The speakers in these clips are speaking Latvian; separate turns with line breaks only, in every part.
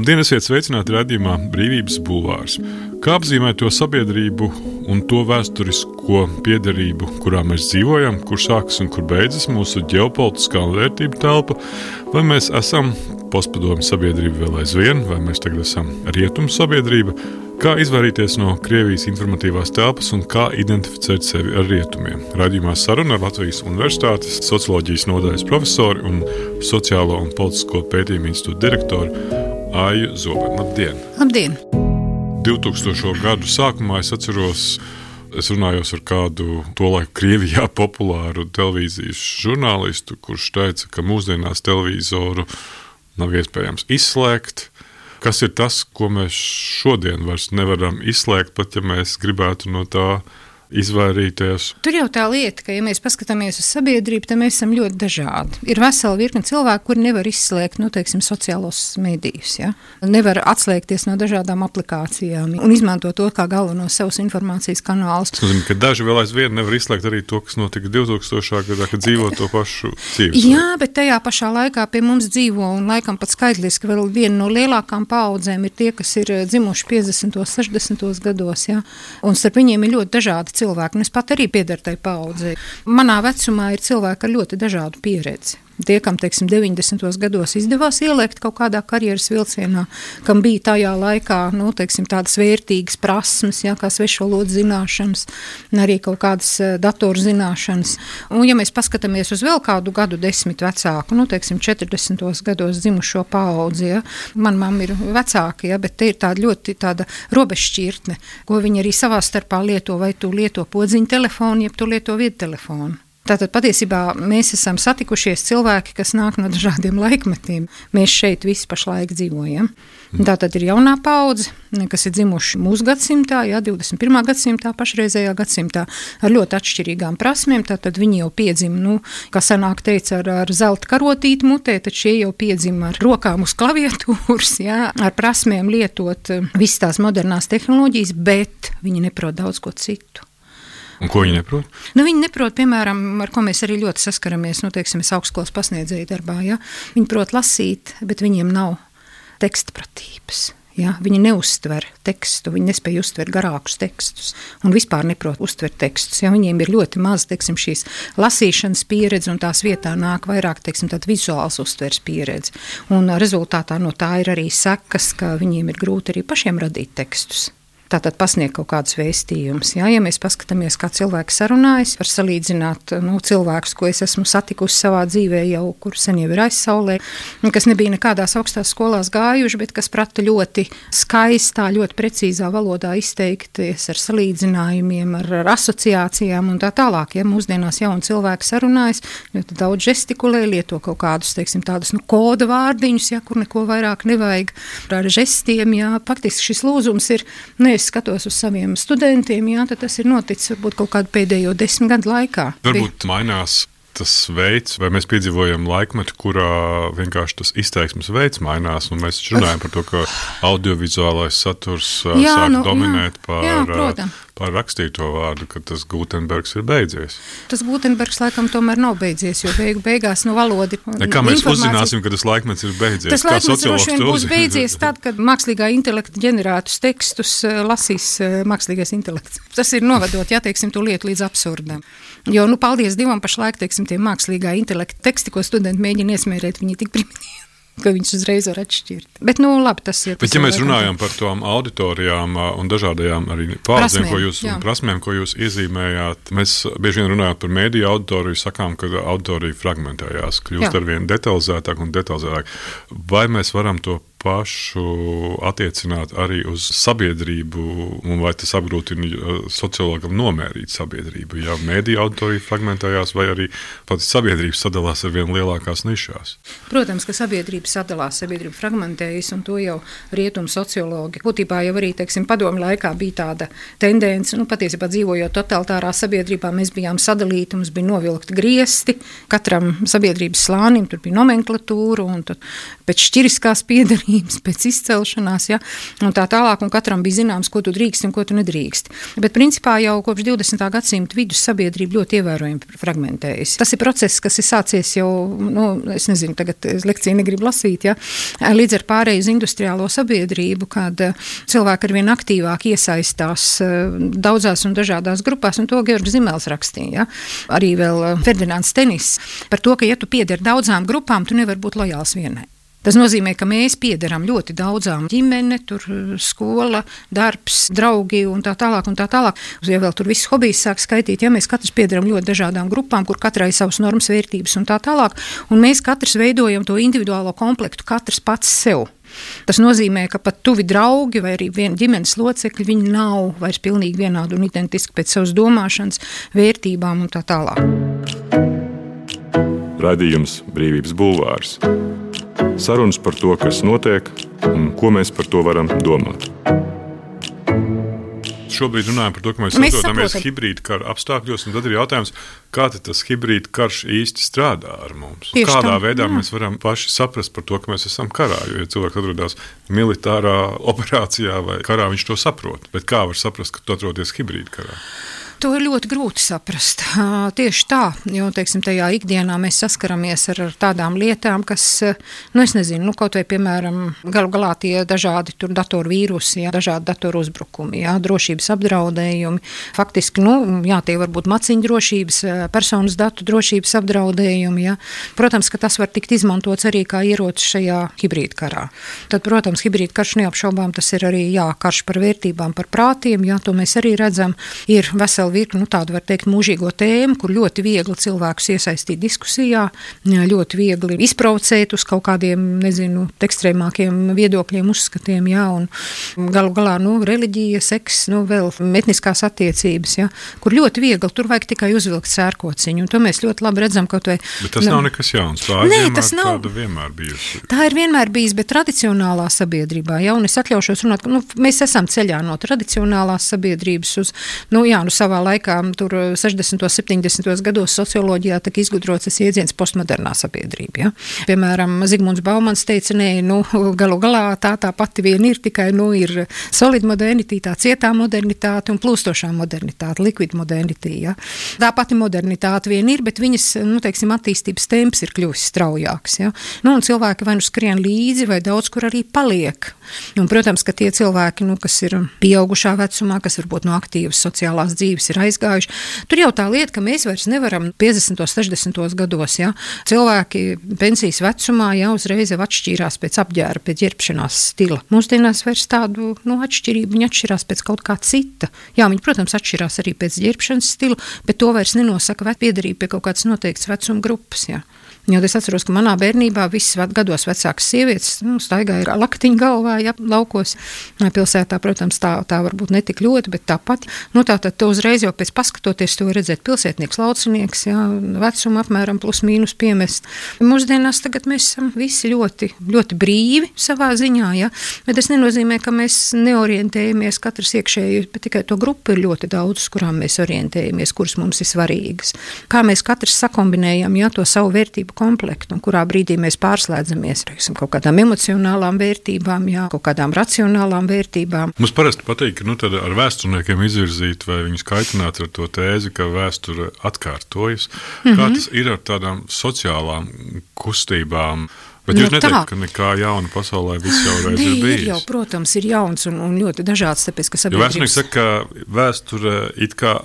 Labdien, esiet sveicināti raidījumā Brīvības bulvārs. Kā apzīmēt to sabiedrību un to vēsturisko piederību, kurā mēs dzīvojam, kur sākas un kur beidzas mūsu ģeopolitiskā un vērtību telpa, vai mēs esam postpadomju sabiedrība vēl aizvien, vai mēs tagad esam rietumu sabiedrība, kā izvairīties no Krievijas informatīvās telpas un kā identificēt sevi ar rietumiem. Raidījumā saruna ar Latvijas Universitātes socioloģijas nodaļas profesori un sociālo un politisko pētījumu institūta direktoru Aiju Zobeni. Labdien!
Labdien!
2000. gadu sākumā es atceros, es runājos ar kādu tolaik Krievijā populāru televīzijas žurnālistu, kurš teica, ka mūsdienās televizoru nav iespējams izslēgt. Kas ir tas, ko mēs šodien vairs nevaram izslēgt, pat ja mēs gribētu no tā izvairīties?
Tur jau tā lieta, ka ja mēs paskatāmies uz sabiedrību, tad mēs esam ļoti dažādi. Ir vesela virkne cilvēku, kuri nevar izslēgt, sociālos medijus, ja? Nevar atslēgties no dažādām aplikācijām un izmantot to kā galveno savus informācijas kanālus.
Tas nozīmē, ka daži vēl aizvien nevar izslēgt arī to, kas notika 2000. gadā, kad dzīvo to pašu dzīves.
Jā, bet tajā pašā laikā pie mums dzīvo un laikam pat skaitliski vēl viena no lielākām paaudzēm ir tie, kas ir dzimuši 50. 60. gados, ja? Un starp viņiem ir ļoti dažādi cilvēki, un es pat arī piederu tai paaudzei. Manā vecumā ir cilvēki ar ļoti dažādu pieredzi. Tie, kam, 90. gados izdevās ieliekt kaut kādā karjeras vilcienā, kam bija tajā laikā, tādas vērtīgas prasmes, kā svešvalodu zināšanas, arī kaut kādas datoru zināšanas. Un, ja mēs paskatāmies uz vēl kādu gadu desmit vecāku, 40. gados dzimušo paudzi, man mamma ir vecāka, bet te ir tāda ļoti tāda robežšķirtne, ko viņi arī savā starpā lieto, vai tu lieto podziņu telefonu, jeb tu lieto viedtelefonu. Tātad patiesībā mēs esam satikušies cilvēki, kas nāk no dažādiem laikmetiem. Mēs šeit visi pašlaik dzīvojam. Tātad ir jaunā paudze, kas ir dzimuši mūsu gadsimtā, 21. gadsimtā, pašreizējā gadsimtā, ar ļoti atšķirīgām prasmēm. Tātad viņi jau piedzima, kā senāk teica, ar zelta karotīti mutē, tad šie jau piedzima ar rokām uz klaviatūras, ar prasmēm lietot visas tās modernās tehnoloģijas, bet viņi neprot daudz ko citu.
Un ko viņi neprot?
Viņi neprot, piemēram, ar ko mēs arī ļoti saskaramies, es augstskolas pasniedzēju darbā, Viņi prot lasīt, bet viņiem nav tekstpratības, Viņi neuztver tekstu, viņi nespēja uztvert garākus tekstus un vispār neprot uztvert tekstus, Viņiem ir ļoti maz, šīs lasīšanas pieredze un tās vietā nāk vairāk, tāda vizuāls uztvers pieredze. Un rezultātā no tā ir arī sekas, ka viņiem ir grūti arī pašiem radīt tekstus. Tātad pasniegt kaut kādus vēstījumus. Ja mēs paskatāmies, kā cilvēki sarunājas, var salīdzināt cilvēkus, ko es esmu satikusi savā dzīvē jau, kur sen jau ir aizsaulē, kas nebija nekādās augstās skolās gājuši, bet kas prata ļoti skaistā, ļoti precīzā valodā izteikties ar salīdzinājumiem, ar asociācijām un tā tālāk. Ja mūsdienās jauni cilvēki sarunājas, ļoti daudz žestikulē, lieto kaut kādus, tādus koda vārdiņus, kur neko vairāk nevajag ar žestiem. Faktiski šis lūzums ir, es skatos uz saviem studentiem, tad tas ir noticis varbūt kaut kādu pēdējo 10 gadu laikā.
Varbūt mainās tas veids, vai mēs piedzīvojam laikmetu, kurā vienkārši tas izteiksmes veids mainās, un mēs runājam par to, ka audiovizuālais saturs sāk dominēt par rakstīto vārdu, ka tas Gutenbergs ir beidzies.
Tas Gutenbergs laikam tomēr nav beidzies, jo beigās valoda ir
kā mēs uzzināsim, ka tas laikmets ir beidzies?
Tas laikmets droši vien būs beidzies tad, kad mākslīgā intelekta ģenerētus tekstus lasīs mākslīgais intelekts. Tas ir novedot, to lietu līdz absurdam. Jo, paldies Dievam, pašlaik, tie mākslīgā intelekta teksti, ko studenti mēģina iesmērēt, viņi tik primitīvi, ka viņš uzreiz var atšķirt. Bet, labi, tas ir.
Bet, ja mēs runājam par tām auditorijām un dažādajām arī paudzēm, prasmēm, ko jūs iezīmējāt, mēs bieži vien runājot par mēdīju auditoriju, sakām, ka auditorija fragmentējās, kļūst arvien detalizētāk un detalizētāk. Vai mēs varam to pašu attiecināt arī uz sabiedrību, un vai tas apgrūtina sociologam nomērīt sabiedrību, ja mēdīja auditorija fragmentējās, vai arī pat sabiedrības sadalās ar vien lielākās nišās?
Protams, ka sabiedrība sadalās, sabiedrība fragmentējas, un to jau rietumu sociologi. Būtībā jau arī, padomju laikā bija tāda tendence, patiesībā dzīvojot totalitārā sabiedrībā, mēs bijām sadalīti, mums bija novilkti griesti, katram sabiedrības slānim tur bija nomenklatūra, un tad pēc šķiriskās piederības tautības, pēc izcelšanās, ja, un tā tālāk, un katram bija zināms, ko tu drīksti un ko tu nedrīksti. Bet principā jau kopš 20. gadsimta vidus sabiedrība ļoti ievērojami fragmentējas. Tas ir process, kas ir sācies jau, es nezinu, tagad lekciju negribu lasīt, ja, līdz ar pārēju uz industriālo sabiedrību, kad cilvēki arvien aktīvāk iesaistās daudzās un dažādās grupās, un to Georgs Zimels rakstīja. Ja. Arī vēl Ferdinands Tenis par to, ka ja tu piederi daudzām grupām, tu nevari būt lojāls vienai. Tas nozīmē, ka mēs piederam ļoti daudzām ģimene, tur skola, darbs, draugi un tā tālāk un tā tālāk. Ja vēl tur viss hobijs sāk skaitīt, ja mēs katrs piederam ļoti dažādām grupām, kur katrai savas normas, vērtības un tā tālāk, un mēs katrs veidojam to individuālo komplektu, katrs pats sev. Tas nozīmē, ka pat tuvi draugi vai arī viena ģimenes locekļi, viņi nav vairs pilnīgi vienādi un identiski pēc savas domāšanas, vērtībām un tā tālāk.
Raidījums Brīvības bulvārs. Sarunas par to, kas notiek un ko mēs par to varam domāt. Šobrīd runājam par to, ka mēs atrodamies hibrīda kara apstākļos, un tad ir jautājums, kā tas hibrīda karš īsti strādā ar mums? Kādā veidā mēs varam paši saprast par to, ka mēs esam karā, jo, ja cilvēks atrodas militārā operācijā vai karā, viņš to saprot. Bet kā var saprast, ka tu atrodies hibrīda karā?
To ir ļoti grūti saprast. Tieši tā, jo, teiksim, tajā ikdienā mēs saskaramies ar tādām lietām, kas, es nezinu, kaut vai, piemēram, galu galā tie dažādi tur datoru vīrusi, dažādi datoru uzbrukumi, drošības apdraudējumi. Faktiski, tie var būt maciņu drošības, personas datu drošības apdraudējumi, Protams, ka tas var tikt izmantots arī kā ierocis šajā hibrīda karā. Tad, protams, hibrīda karš neapšaubām, tas ir arī, karš par vērtībām, par prātiem, to mēs arī redzam, ir veseli virkni, tādu var teikt mūžīgo tēmu, kur ļoti viegli cilvēkus iesaistīt diskusijā, ļoti viegli izprovocēt uz kaut kādiem, ekstrēmākiem viedokļiem, uzskatiem, un galu galā, reliģija, seks, vēl etniskās attiecības, kur ļoti viegli, tur vajag tikai uzvilkt sērkociņu, un to mēs ļoti labi redzam, kaut vai...
Bet tas nav nekas jauns, tāda vienmēr bijusi.
Tā ir vienmēr bijis, bet tradicionālā sabiedrībā, un es atļaušos runāt, ka mēs esam ceļā no tradicionālās sabiedrības uz, savā laikā, tur 60. 70. gados socioloģijā tika izgudrots jēdziens postmodernā sabiedrība. Ja? Piemēram, Zigmunds Baumans teica, galu galā tā pati vien ir, tikai ir solid modernity, tā cietā modernitāte un plūstošā modernitāte, liquid modernity. Ja? Tā pati modernitāte vien ir, bet viņas, attīstības temps ir kļuvis straujāks. Ja? Un cilvēki vai skrien līdzi, vai daudz kur arī paliek. Un, protams, ka tie cilvēki, kas ir pieaugušā vecumā, kas varbūt no aktīvas sociālās dzīves ir aizgājuši. Tur jau tā lieta, ka mēs vairs nevaram 50. 60. gados, cilvēki pensijas vecumā uzreiz atšķīrās pēc apģēra, pēc ģērbšanās stila. Mūsdienās vairs tādu atšķirību, viņi atšķirās pēc kaut kā cita. Viņi, protams, atšķirās arī pēc ģērbšanas stila, bet to vairs nenosaka piederība pie kaut kādas noteiktas vecuma grupas. Jo es atceros, ka manā bērnībā visas gados vecākas sievietes staigāja ar laktiņu galvā, laukos. Pilsētā, protams, tā varbūt netik ļoti, bet tāpat. Tātad to uzreiz jau pēc paskatoties to redzēt pilsētnieks, laucinieks, vecuma apmēram plus mīnus piemest. Mūsdienās tagad mēs esam visi ļoti, ļoti brīvi savā ziņā, bet tas nenozīmē, ka mēs neorientējamies katrs iekšēji, bet tikai to grupu ir ļoti daudz, uz kurām mēs orientējamies, kuras mums ir svarīgas. Kā mēs katrs sakombinējam, to savu vērtību komplektu, un kurā brīdī mēs pārslēdzamies kaut kādām emocionālām vērtībām, kaut kādām racionālām vērtībām.
Mums parasti patīk, ka tad ar vēsturniekiem izvirzīt vai viņus kaitināt ar to tēzi, ka vēsture atkārtojas. Kā tas ir ar tādām sociālām kustībām? Bet jūs neteikt, ka nekā jauna pasaulē viss jau reiz ir bijis?
Ir jau, protams, ir jauns un ļoti dažāds, tāpēc, ka sabiedrības...
Jo vēsturnieks saka, ka vēsture it kā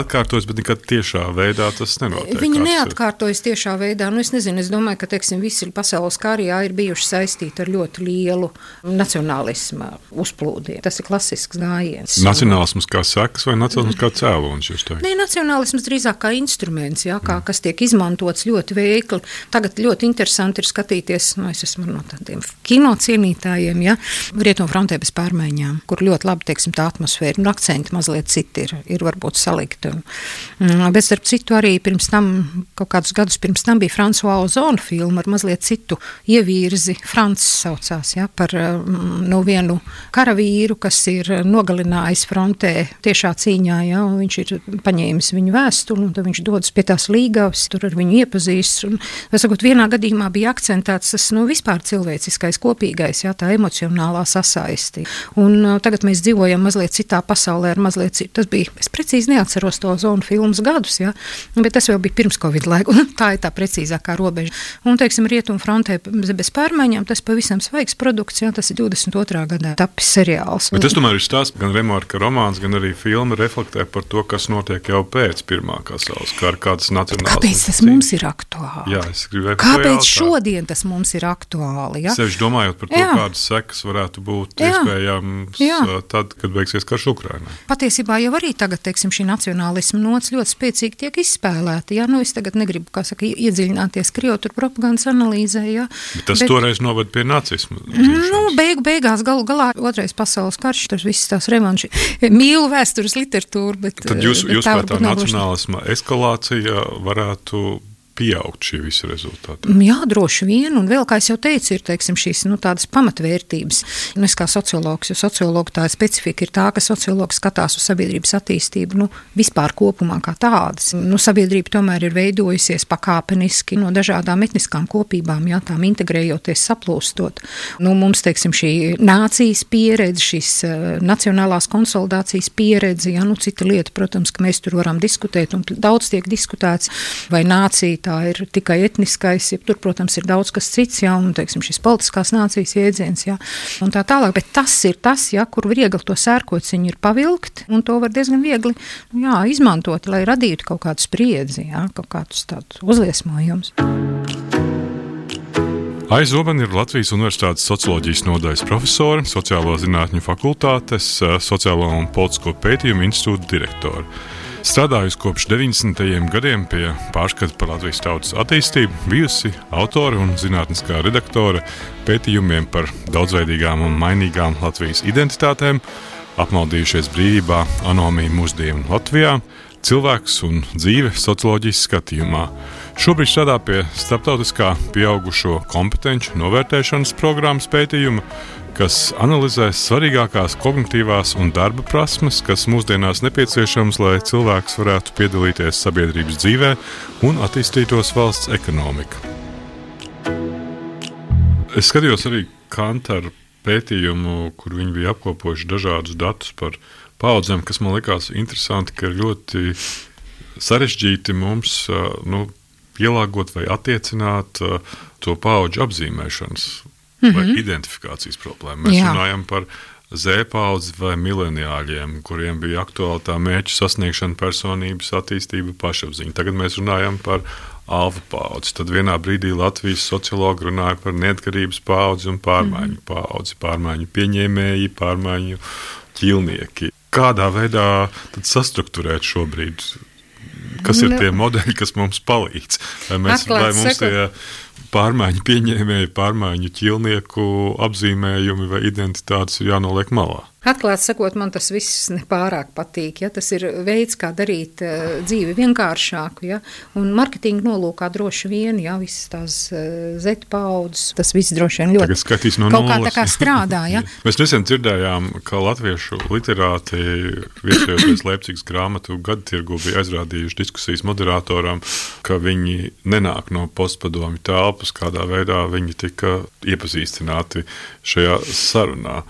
atkārtojas, bet nekad tiešā veidā tas nenotiek.
Viņa neatkārtojas tiešā veidā. Es nezinu, es domāju, ka, visi pasaules kārijā ir bijuši saistīti ar ļoti lielu nacionālismu uzplūdiem. Tas ir klasisks gājiens.
Nacionālisms kā sekas vai nacionālisms kā cēlonis, jūs teikt?
Nē, nacionālisms drīzāk kā instruments, kas tiek izmantots ļoti veikli. Tagad ļoti interesanti ir skatīties. Es esmu no tādiem kino cienītājiem, Rietumfrontē bez pārmaiņām, kur ļoti labi, tā atmosfēra un akcenti mazliet citi ir varbūt salikti. Bet starp citu arī pirms tam, kaut kādus gadus pirms tam bija François Ozona filma ar mazliet citu ievirzi, Frants saucās, par vienu karavīru, kas ir nogalinājis frontē tiešā cīņā, un viņš ir paņēmis viņu vēstuli, un tad viņš dodas pie tās līgavas, tur ar viņu iepazīst. Un, vienā gadījumā bija akcentēts tas, vispār cilvēciskais, kopīgais, jā, tā emocionālā sasaisti. Un tagad mēs dzīvojam mazliet citā pasaulē, ar mazliet citu. Tas bija, es precīzi neatceros to Zonu filmas gadus, jā, bet tas vēl bija pirms Covid laiku, un tā ir tā precīzākā robeža. Un, teiksim, Rietumu frontē bez pārmaiņām, tas pavisam svaigs produkts, jā, tas ir 22. gadā tapis seriāls.
Bet tas tomēr ir stāsts, gan Remārka romāns, gan arī filma reflektē par to, kas notiek jau pēc Pirmā pasaules kara, kādas nacionālas.
Kāpēc tas mums ir aktuāli?
Jā, es gribēju
Kāpēc šodien tas mums ir aktuāli? Ja?
Sevišķi domājot par to, kādas sekas varētu būt iespējams tad, kad beigsies karš Ukrainā.
Patiesībā jau arī tagad, teiksim, šī nacionālisma nots ļoti spēcīgi tiek izspēlēta. Ja? Es tagad negribu, iedziļināties Krievu propagandas analīzē. Ja?
Bet tas toreiz noved pie nacisma.
Beigās galā Otrais pasaules karš, tas viss tās revanši. Mīlu vēstures literatūru, bet
tad jūs tā nacionālisma eskalācija varētu pieaugt šie visi rezultāti?
Jā, droši vien, un vēl, kā es jau teicu, ir, teiksim, šīs, tādas pamatvērtības. Es kā sociologs, jo sociologu tā specifika ir tā, ka sociologs skatās uz sabiedrības attīstību, vispār kopumā kā tādas. Sabiedrība tomēr ir veidojusies pakāpeniski no dažādām etniskām kopībām, jā, tām integrējoties, saplūstot. Mums, teiksim, šī nācijas pieredze, šīs nacionālās konsolidācijas pieredze, jā, cita lieta, protams, ka mēs tur varam diskutēt, un daudz tiek diskutēts, vai nācija tā ir tikai etniskais, ja tur, protams, ir daudz kas cits, jā, un, teiksim, šis politiskās nācijas jēdziens, jā, un tā tālāk, bet tas ir tas, jā, kur viegli to sērkociņu ir pavilkt, un to var diezgan viegli, izmantot, lai radītu kaut kādu spriedzi, jā, kaut kādus tādus uzliesmojumus.
Aija Zobene ir Latvijas Universitātes socioloģijas nodaļas profesore, sociālo zinātņu fakultātes, sociālo un politisko pētījumu institūta direktore. Strādājusi kopš 90. gadiem pie pārskata par Latvijas tautas attīstību, bijusi autore un zinātniskā redaktore pētījumiem par daudzveidīgām un mainīgām Latvijas identitātēm, apmaldījušies brīvībā, anomija mūsdienu Latvijā, cilvēks un dzīve socioloģijas skatījumā. Šobrīd strādā pie starptautiskā pieaugušo kompetenču novērtēšanas programmas pētījuma, kas analizē svarīgākās kognitīvās un darba prasmes, kas mūsdienās nepieciešams, lai cilvēks varētu piedalīties sabiedrības dzīvē un attīstītos valsts ekonomika. Es skatījos arī Kantaru pētījumu, kur viņi bija apkopojuši dažādus datus par paudzēm, kas man likās interesanti, ka ir ļoti sarežģīti mums pielāgot vai attiecināt to paudžu apzīmēšanas vai identifikācijas problēmu. Mēs runājam par Z-paudzi vai mileniāļiem, kuriem bija aktuāli tā mērķa sasniegšana, personības attīstība, pašapziņa. Tagad mēs runājam par alfa paudzi. Tad vienā brīdī Latvijas sociologi runāja par neatkarības paudzi un pārmaiņu paudzi, pārmaiņu pieņēmēji, pārmaiņu ķilnieki. Kādā veidā tad sastrukturēt šobrīd? Kas ir tie modeļi, kas mums palīdz? Vai mums tie pārmaiņu pieņēmēji, pārmaiņu ķilnieku apzīmējumi vai identitātes ir jānoliek malā?
Atklāti sakot, man tas viss nepārāk patīk. Ja? Tas ir veids, kā darīt dzīvi vienkāršāku. Ja? Un marketinga nolūkā droši vien, ja? Visas tās Z-paudzes, tas viss droši vien ļoti
no
kaut kā tā kā strādā. Ja?
Mēs nesen dzirdējām, ka latviešu literāti viesojoties Leipcigas grāmatu gadatirgu bija aizrādījuši diskusijas moderatoram, ka viņi nenāk no postpadomju telpas, kādā veidā viņi tika iepazīstināti šajā sarunā.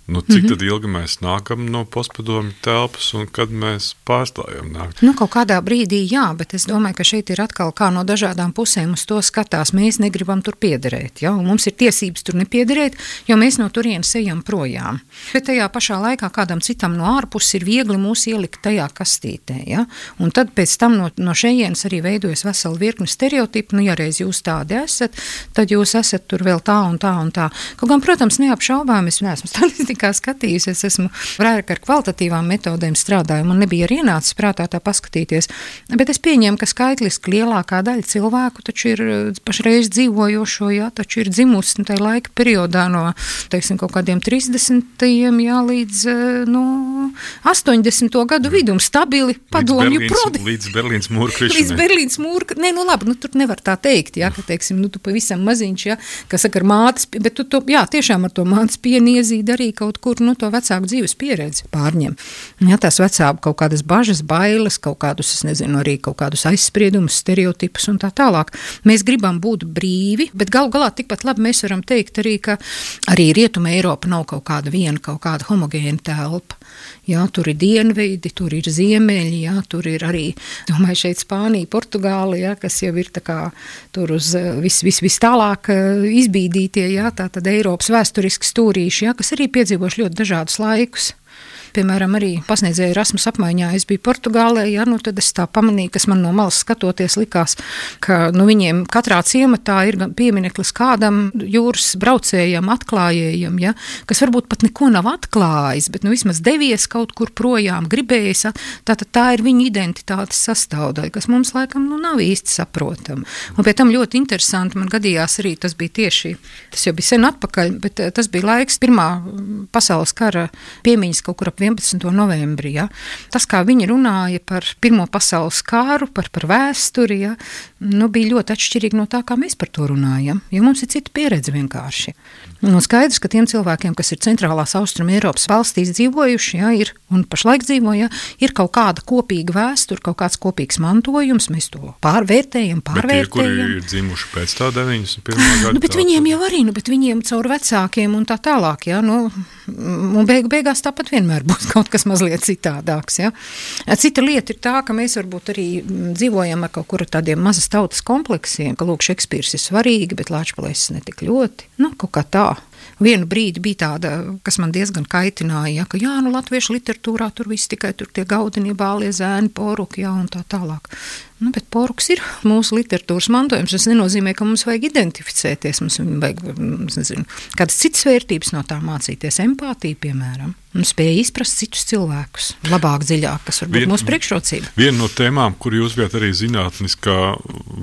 Cik tad ilgi mēs nākam no postpadomju telpas un kad mēs pārstājam nākt?
Kaut kādā brīdī jā, bet es domāju, ka šeit ir atkal kā no dažādām pusēm uz to skatās. Mēs negribam tur piederēt, ja? Un mums ir tiesības tur nepiederēt, jo mēs no turienes ejam projām. Bet tajā pašā laikā kādam citam no ārpuses ir viegli mūs ielikt tajā kastītē, ja? Un tad pēc tam no šejienes arī veidojas vesela virkne stereotipu, ja reiz jūs tādi esat, tad jūs esat tur vēl tā un tā un tā. Kaut gan, protams, neapšaubām, es neesmu statistikā skatījusi, es esmu vairāk ar kvalitatīvām metodēm strādāju, man nebija arī ienācis prātā tā paskatīties, bet es pieņēmu, ka skaitliski lielākā daļa cilvēku taču ir pašreiz dzīvojošo, jā, taču ir dzimusi tajā laika periodā no, teiksim, kaut kādiem 30. jā, līdz, 80. gadu vidum stabili padomju
līdz Berlīnas mūra krišanai.
Līdz Berlīnas mūra, labi, tur nevar tā teikt, ka, teiksim, tu pavisam maziņš, kas saka ar mātes, bet tu to, tiešām ar to mātes pienu iezīd arī kaut kur, to vecāku dzīves pieredzi pārņem. Tās vecāku kaut kādas bažas, bailes, kaut kādus, es nezinu, arī kaut kādus aizspriedumus, stereotipus un tā tālāk. Mēs gribam būt brīvi, bet galu galā tikpat labi mēs varam teikt arī, ka arī Rietuma Eiropa nav kaut kāda homogēna telpa. Tur ir dienvidi, tur ir ziemeļi, tur ir arī, domāju, šeit Spānija, Portugāla, kas jau ir tā kā tur uz vis tālāk izbīdītie, tātad Eiropas vēsturiski stūrīši, kas arī piedzīvoši ļoti dažādus laikus. Piemēram, arī pasniedzēju Erasmus apmaiņā, es biju Portugālē, tad es tā pamanīju, kas man no malas skatoties likās, ka viņiem katrā ciematā ir piemineklis kādam jūras braucējam, atklājējam, kas varbūt pat neko nav atklājis, bet vismaz devies kaut kur projām, gribējis, tātad tā ir viņa identitātes sastāvdaļa, kas mums laikam nav īsti saprotama. Un pie tam ļoti interesanti, man gadījās arī, tas bija tieši, tas jau bija sen atpakaļ, bet tas bija laiks Pirmā pasaules kara piemiņas kaut kur ap 11. novembrī. Tas, kā viņi runāja par Pirmo pasaules kāru, par vēsturi, bija ļoti atšķirīgi no tā, kā mēs par to runājam, jo mums ir cita pieredze vienkārši. Skaidrs, ka tiem cilvēkiem, kas ir centrālās Austrum Eiropas valstīs dzīvojuši, ir un pašlaik dzīvo, ir kaut kāda kopīga vēsture, kaut kāds kopīgs mantojums, mēs to pārvērtējam.
Bet tie, kuri ir dzimuši pēc tā 91. gada.
Bet viņiem jau arī, bet viņiem caur vecākiem un tā tālāk, un beigās tāpat vienmēr būs kaut kas mazliet citādāks, Cita lieta ir tā, ka mēs varbūt arī dzīvojam ar kaut kuru tādiem mazas tautas kompleksiem, ka lūk, Šekspīrs ir svarīgi, bet Lāčplēsis ne tik ļoti, kaut kā tā. Vienu brīdi bija tāda, kas man diezgan kaitināja, ka latviešu literatūrā tur viss tikai tur tie Gaudenie, Bālie, Zēni, Poruki, un tā tālāk. Bet Poruks ir mūsu literatūras mantojums. Tas nenozīmē, ka mums vajag identificēties, mums vajag, nezinu, kādas citas vērtības no tā mācīties, empātiju, piemēram, un spēja izprast citus cilvēkus labāk, dziļāk, kas var būt mūsu priekšrocība.
Viena no tēmām, kur jūs bijat arī zinātniskā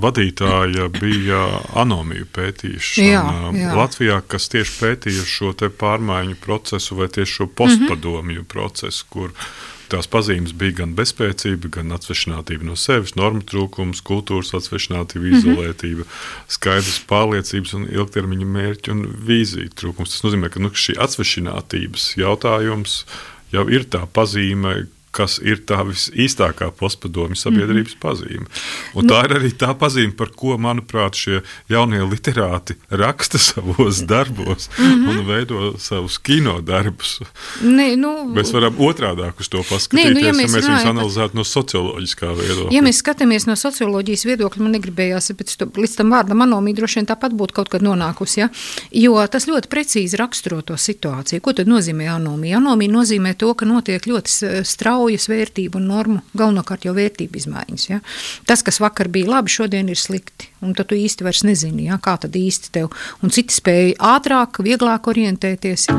vadītāja, bija anomiju pētīšana Latvijā, kas tieši pētīja šo te pārmaiņu procesu vai tieši šo postpadomju procesu, kur tās pazīmes bija gan bezspēcība, gan atsvešinātība no sevis, normu trūkums, kultūras atsvešinātība, izolētība, skaidrs pārliecības un ilgtermiņa mērķi un vīzija trūkums. Tas nozīmē, ka šī atsvešinātības jautājums jau ir tā pazīme, kas ir tā visīstākā postpadomju sabiedrības pazīme. Un tā ir arī tā pazīme, par ko, manuprāt, šie jaunie literāti raksta savos darbos un veido savus kino darbus. Mēs varam otrādāk uz to paskatīties, ja mēs viņus analizētu no socioloģiskā viedokļa.
Ja mēs skatāmies no socioloģijas viedokļa, man negribējās, bet līdz tam vārdam anomija droši vien tāpat būtu kaut kad nonākusi, jo tas ļoti precīzi raksturo to situāciju. Ko tad nozīmē anomija? Anomija nozīmē to, ka notiek ļoti straujas vērtību un normu, galvenokārt jau vērtību izmaiņas. Tas, kas vakar bija labi, šodien ir slikti. Un tad tu īsti vairs nezini, kā tad īsti tev. Un citi spēja ātrāk, vieglāk orientēties.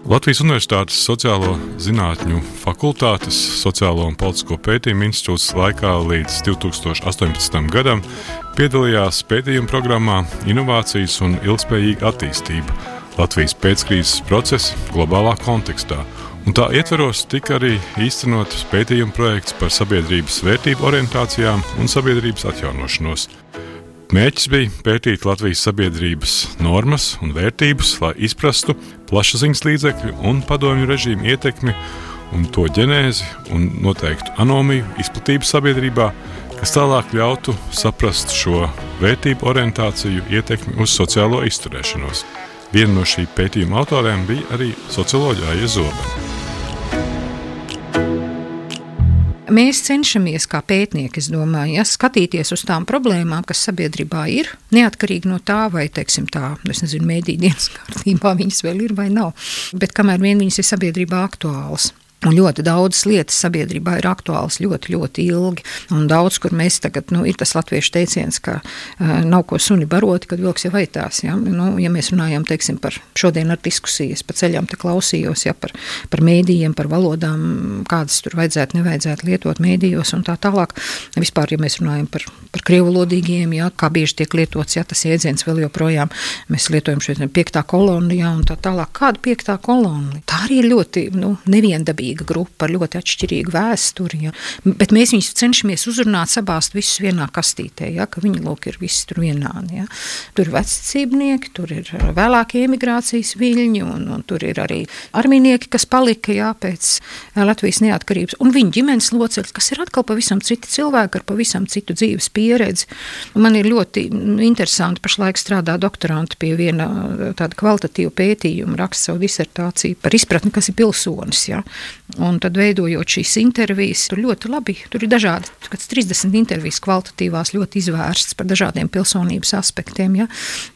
Latvijas Universitātes Sociālo zinātņu fakultātes Sociālo un politisko pētījumu institūts laikā līdz 2018. gadam piedalījās pētījuma programmā Inovācijas un ilgspējīga attīstība Latvijas pēckrīzes procesa globālā kontekstā. Un tā ietveros tika arī īstenots pētījuma projekts par sabiedrības vērtību orientācijām un sabiedrības atjaunošanos. Mērķis bija pētīt Latvijas sabiedrības normas un vērtības, lai izprastu plašsaziņas līdzekļu un padomju režīmu ietekmi un to ģenēzi un noteiktu anomiju izplatību sabiedrībā, kas tālāk ļautu saprast šo vērtību orientāciju ietekmi uz sociālo izturēšanos. Viena no šī pētījuma autoriem bija arī socioloģija Aija Zobene.
Mēs cenšamies kā pētnieki, es domāju, skatīties uz tām problēmām, kas sabiedrībā ir, neatkarīgi no tā, vai, teiksim, mēdī dienas kārtībā viņas vēl ir vai nav, bet kamēr vien viņas ir sabiedrībā aktuālas. Un ļoti daudzas lietas sabiedrībā ir aktuāls ļoti, ļoti ilgi. Un daudz, kur mēs tagad, ir tas latviešu teiciens, ka nav ko suni baroti, kad vilks jau aitās. Ja, ja mēs runājam, teiksim, par šodien ar diskusijas, pa ceļām te klausījos, ja, par mēdījiem, par valodām, kādas tur nevajadzētu lietot mēdījos un tā tālāk. Vispār, ja mēs runājam par krievulodīgiem, ja, kā bieži tiek lietots, ja tas jēdziens vēl joprojām, mēs lietojam šeit 5. kolona, ja, un tā tālāk. Kāda 5. kolona? Tā arī ir ļoti, neviendabīga grupa ar ļoti atšķirīgu vēsturi, ja. Bet mēs viņus cenšamies uzrunāt, sabāzt visus vienā kastītē, ja, ka viņi, lūk, ir visi tur vienādi. Ja. Tur ir vecticībnieki, tur ir vēlākie emigrācijas viļņi, un tur ir arī armijnieki, kas palika, ja, pēc Latvijas neatkarības, un viņu ģimenes locekļi, kas ir atkal pavisam citi cilvēki ar pavisam citu dzīves pieredzi. Man ir ļoti interesanti pašlaik strādā doktoranti pie viena tāda kvalitatīva pētījuma, raksta savu disertāciju par izpratni, kas ir pilsonis, ja. Un tad veidojot šīs intervijas, tur ļoti labi, tur ir dažādi, kāds 30 intervijas kvalitatīvās ļoti izvērsts par dažādiem pilsonības aspektiem, ja.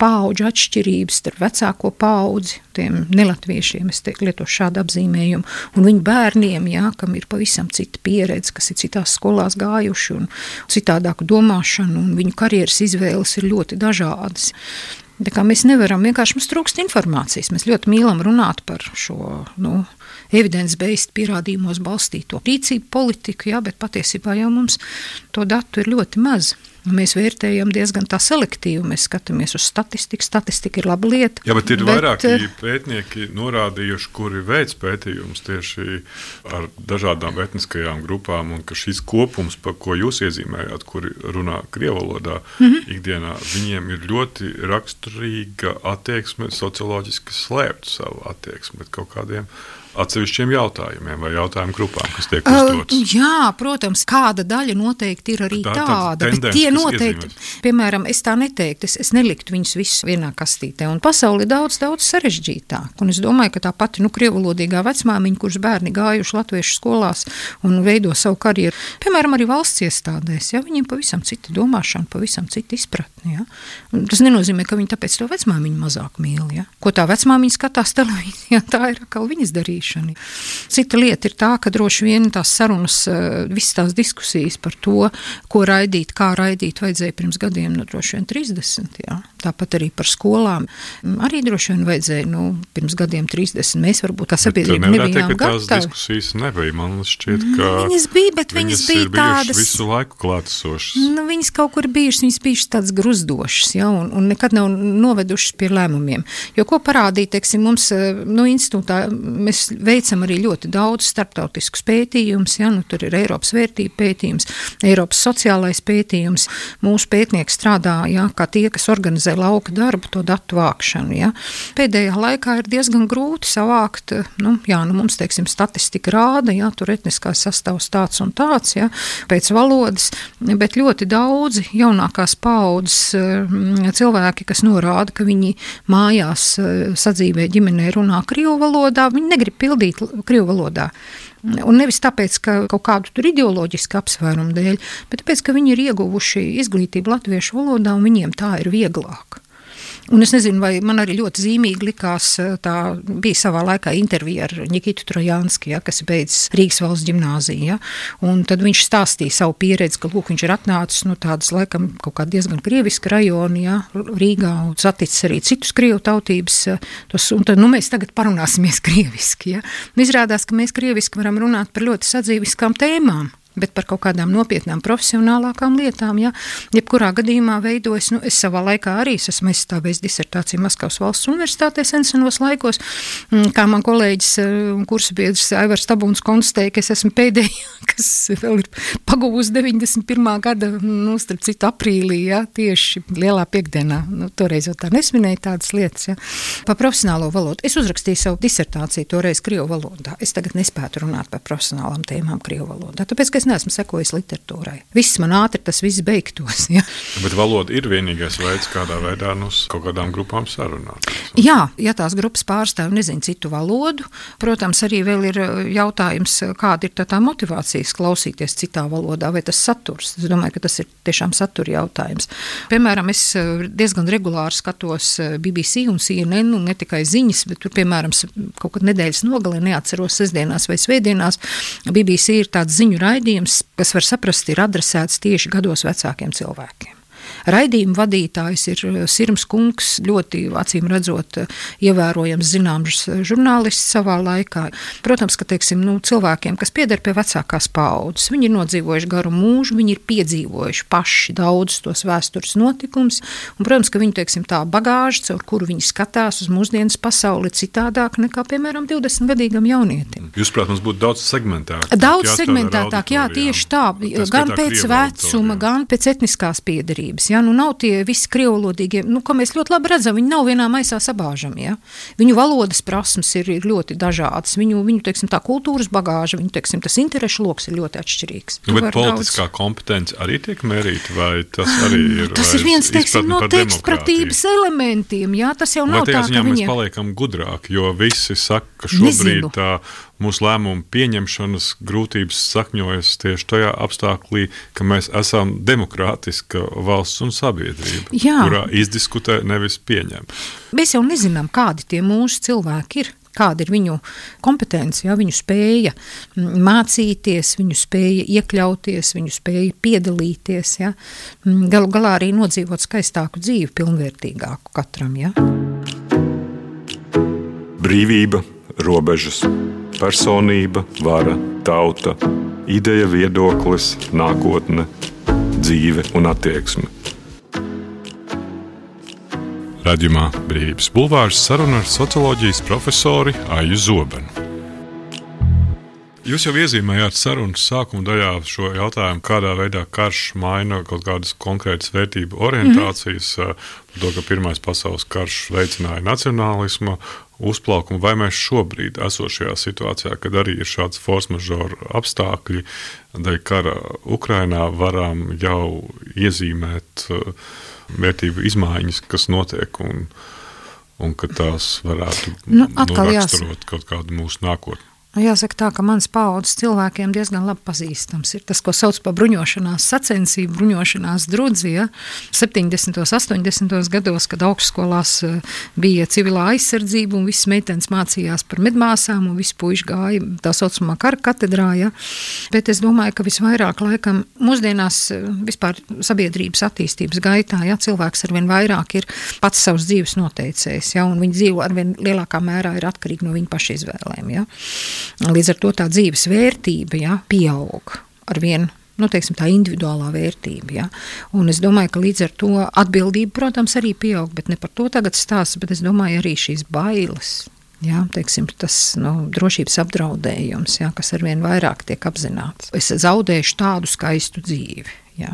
Paudžu atšķirības starp vecāko paudzi, tiem nelatviešiem, es lietošu šādu apzīmējumu, un viņu bērniem, ja, kam ir pavisam cita pieredze, kas ir citās skolās gājuši un citādāku domāšanu, un viņu karjeras izvēles ir ļoti dažādas. Tā kā mēs nevaram, vienkārši mums trūkst informācijas. Mēs ļoti mīlam runāt par šo, evidence-based pierādījumos balstīto rīcību politiku, jā, bet patiesībā jau mums to datu ir ļoti maz. Mēs vērtējam diezgan tā selektīvi, mēs skatāmies uz statistiku, statistika ir laba lieta.
Jā, bet ir vairāki pētnieki norādījuši, kuri veic pētījumus tieši ar dažādām etniskajām grupām, un ka šis kopums, par ko jūs iezīmējāt, kuri runā krievvalodā ikdienā, viņiem ir ļoti raksturīga attieksme, socioloģiski slēpt savu attieksmi pret kaut kādiem atsevišķiem jautājumiem vai jautājumu grupām, kas tiek uzdotas.
Jā, protams, kāda daļa noteikti ir arī tāda, bet tie noteikti, piemēram, es tā neteiktu, es neliktu viņus visus vienā kastītē, un pasauli ir daudz sarežģītāk, un es domāju, ka tā pati, krievvalodīgā vecmāmiņa, kuras bērni gājuši latviešu skolās un veido savu karjeru, piemēram, arī valsts iestādēs, ja, viņiem pavisam cita domāšana, pavisam cita izpratne, ja. Tas nenozīmē, ka viņi tāpēc to vecmāmiņu mazāk mīl, ja. Ko tā vecmāmiņa skatās televīzijā, tā ir atkal viņas darīšana. Cita lieta ir tā, ka droši vien tās sarunas, visas tās diskusijas par to, ko raidīt, kā raidīt, vajadzēja pirms gadiem, droši vien 30, jā. Tāpat arī par skolām. Arī droši vien vajadzēja, pirms gadiem 30. Mēs varbūt kā sabiedrība nebijām gatavi.
Tās diskusijas nebija, man šķiet, ka
viņas bija, bet viņas bija tādas
visu laiku klātesošas.
Viņas kaut kur bijušas, viņas bijušas tādas gruzdošas, ja, un nekad nav novedušas pie lēmumiem. Jo ko parādīja, teiksim, mums, institūtā mēs veicam arī ļoti daudz starptautiskus pētījumus, ja, tur ir Eiropas vērtība pētījums, Eiropas sociālais pētījums. Mūsu pētnieki strādā, ja, kā tie, kas organizē lauka darbu, to datu vākšanu, ja. Pēdējā laikā ir diezgan grūti savākt, mums, teiksim, statistika rāda, ja, tur etniskās sastāvs tāds un tāds, ja, pēc valodas, bet ļoti daudzi jaunākās paudzes cilvēki, kas norāda, ka viņi mājās sadzīvē ģimenē runā krievu valodā, viņi negrib pildīt krievu valodā. Un nevis tāpēc, ka kaut kādu tur ideoloģisku apsvērumu dēļ, bet tāpēc, ka viņi ir ieguvuši izglītību latviešu valodā un viņiem tā ir vieglāk. Un es nezinu, vai man arī ļoti zīmīgi likās, tā bija savā laikā intervija ar Nikitu Trojānski, ja, kas beidzis Rīgas valsts ģimnāziju, ja, un tad viņš stāstīja savu pieredzi, ka, lūk, viņš ir atnācis no tādas, laikam, kaut kā diezgan krieviska rajona, ja, Rīgā, un saticis arī citus krievu tautības, un tad, mēs tagad parunāsimies krieviski, ja. Izrādās, ka mēs krieviski varam runāt par ļoti sadzīviskām tēmām, bet par kaut kādām nopietnām profesionālākām lietām, ja, jebkurā gadījumā veidojas, es savā laikā arī esmu aizstāvējis disertāciju Maskavas valsts universitātē senos laikos, kā man kolēģis un kursabiedrs Aivars Tabuns konstatēja, ka es esmu pēdējā, kas vēl ir pagūs 91. gada, starp citu aprīlī, ja, tieši lielā piekdienā, toreiz jau tā nesminēja tādas lietas, ja, par profesionālo valodu. Es uzrakstīju savu disertāciju toreiz krievu valodā. Es tagad nespētu runāt par profesionālām tēmām krievu valodā, tāpēc, ka es neesmu sekojis literatūrai. Viss man ātri tas viss beigtos. Ja.
Bet valoda ir vienīgais veids, kādā veidā kaut kādām grupām sarunāt.
Jā, ja tās grupas pārstāv nezinu citu valodu, protams, arī vēl ir jautājums, kāda ir tā motivācijas klausīties citā valodā, vai tas saturs. Es domāju, ka tas ir tiešām satura jautājums. Piemēram, es diezgan regulāri skatos BBC un CNN, un ne tikai ziņas, bet tur, piemēram, kaut kad nedēļas nogalē, neatceros sestdienās vai svētdienās, BBC ir tāds ziņu raidījums, kas var saprast, ir adresēts tieši gados vecākiem cilvēkiem. Raidījuma vadītājs ir Sirms Kungs, ļoti acīm redzot ievērojams zināms žurnālists savā laikā. Protams, ka cilvēkiem, kas pieder pie vecākās paaudzes, viņi ir nodzīvojuši garu mūžu, viņi ir piedzīvojuši paši daudz tos vēstures notikumus, un, protams, ka viņi, tā bagāža, caur kuru viņi skatās uz mūsdienas pasauli citādāk nekā, piemēram, 20-gadīgam jaunietim.
Jūs, prāt, mums būtu daudz segmentētāk.
Daudz segmentētāk, jā, tieši tā, gan pēc vecuma, gan pēc etniskās piederības. Ja? Nav tie visi krievvalodīgie, ko mēs ļoti labi redzam, viņi nav vienā maisā sabāžami. Ja? Viņu valodas prasmes ir ļoti dažādas, viņu tā kultūras bagāža, viņu, tas interešu loks ir ļoti atšķirīgs.
Bet politiskā kompetence arī tiek mērīta, vai tas arī ir?
Tas ir viens, no tekstpratības elementiem, jā, tas jau nav tā, ka
mēs paliekam gudrāki, jo visi saka, ka šobrīd tā mūsu lēmumu pieņemšanas grūtības sakņojas tieši tajā apstāklī, ka mēs esam demokrātiska valsts un sabiedrība, kurā izdiskutē, nevis pieņem.
Mēs jau nezinām, kādi tie mūsu cilvēki ir. Kāda ir viņu kompetence, ja, viņu spēja mācīties, viņu spēja iekļauties, viņu spēja piedalīties, ja. Galu galā arī nodzīvot skaistāku dzīvi, pilnvērtīgāku katram. Ja.
Brīvība, robežas, personība, vara, tauta, ideja, viedoklis, nākotne, dzīve un attieksme.
Raidījumā Brīvības bulvārs saruna ar socioloģijas profesori Aiju Zobenu. Jūs jau iezīmējāt sarunas sākuma daļā šo jautājumu, kādā veidā karš maina kaut kādas konkrētas vērtību orientācijas, to, ka Pirmais pasaules karš veicināja nacionālismu, uzplaukumu, vai mēs šobrīd esošajā situācijā, kad arī ir šāds force majeure apstākļi, dēļ kara Ukrainā varam jau iezīmēt vērtību izmaiņas, kas notiek, un ka tās varētu raksturot kaut kādu mūsu nākotni.
Jāsaka tā, ka mans paaudzes cilvēkiem diezgan labi pazīstams ir tas, ko sauc par bruņošanās sacensību, bruņošanās drudzi, ja? 70. 80. gados, kad augstskolās bija civilā aizsardzība un visas meitenes mācījās par medmāsām un visi puiši gāja tā saucamā kara katedrā, ja? Bet es domāju, ka visvairāk laikam mūsdienās vispār sabiedrības attīstības gaitā, ja? Cilvēks arvien vairāk ir pats savas dzīves noteicējs, ja? Un viņa dzīvo arvien lielākā mērā ir atkarīgi no viņa paša izvēlēm, ja? Līdz ar to tā dzīves vērtība, ja, pieaug ar vienu, tā individuālā vērtība. Ja. Un es domāju, ka līdz ar to atbildība, protams, arī pieaug, bet ne par to tagad stāsts, bet es domāju arī šīs bailes. Jā, tas drošības apdraudējums, jā, kas arvien vairāk tiek apzināts. Es zaudēšu tādu skaistu dzīvi. Jā.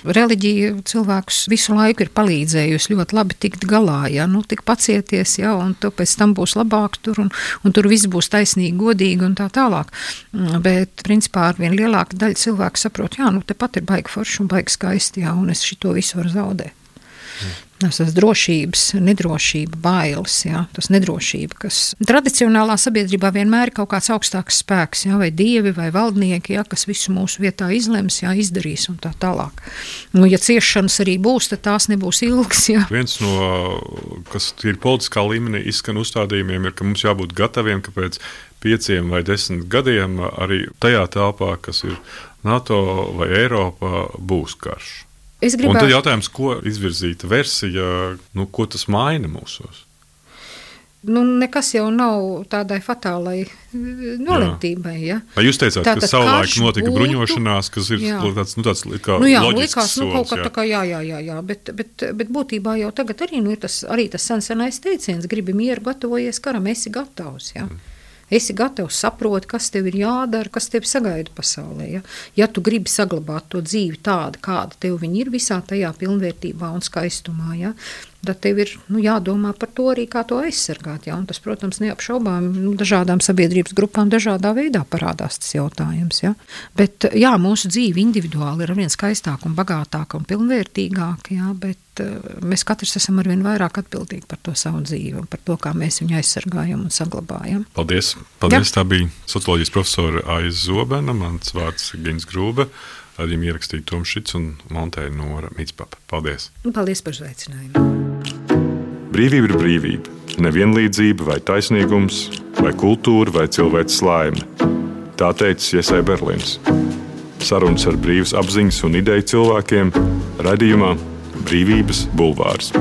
Reliģija cilvēkus visu laiku ir palīdzējusi ļoti labi tikt galā, ja? Tik pacieties, ja? Un tu pēc tam būs labāk tur, un tur viss būs taisnīgi, godīgi un tā tālāk. Bet, principā, arvien lielāka daļa cilvēku saprot, tepat ir baigi forši un baigi skaisti, ja? Un es šito visu varu zaudēt. Tas drošības, nedrošība, bailes, jā, tas nedrošība, kas tradicionālā sabiedrībā vienmēr ir kaut kāds augstāks spēks, jā, vai dievi, vai valdnieki, jā, kas visu mūsu vietā izlems, jā, izdarīs un tā tālāk. Ja ciešanas arī būs, tad tās nebūs ilgas, jā.
Viens no, kas ir politiskā līmenī izskan uzstādījumiem, ir, ka mums jābūt gataviem, ka pēc 5 vai 10 gadiem arī tajā telpā, kas ir NATO vai Eiropa, būs karš. Un tad jautājums, ko izvirzīta versija, ko tas maina mūsos?
Nekas jau nav tādai fatālai nolemtībai, ja?
Jūs teicāt, ka savulaik notika bruņošanās, kas ir tāds kā loģisks solis.
Kaut kā tā kā jā, bet būtībā jau tagad arī ir tas senais teiciens, gribi mieru, gatavojies karam, esi gatavs, ja? Esi gatavs, saproti, kas tev ir jādara, kas tev sagaida pasaulē. Ja tu gribi saglabāt to dzīvi tādu, kāda tev viņa ir visā tajā pilnvērtībā un skaistumā, ja? tad tev ir jādomā par to arī, kā to aizsargāt. Ja? Un tas, protams, neapšaubām dažādām sabiedrības grupām dažādā veidā parādās tas jautājums. Ja? Bet jā, mūsu dzīve individuāli ir arvien skaistāka un bagātāka un pilnvērtīgāka, ja? Bet mēs katrs esam arvien vairāk atbildīgi par to savu dzīvi un par to, kā mēs viņu aizsargājam un saglabājam.
Paldies! Paldies! Jā. Tā bija socioloģijas profesora Aiza Zobena, mans vārds Gins Grūbe. Radījumi ierakstīja Toms Šits un montēja Nora Mitspapa. Paldies!
Paldies par uzaicinājumu!
Brīvība ir brīvība. Nevienlīdzība vai taisnīgums, vai kultūra vai cilvēks laime. Tā teica Jesai Berlins. Sarunas ar brīvas apziņas un ideju cilvēkiem raidījumā Brīvības bulvārs.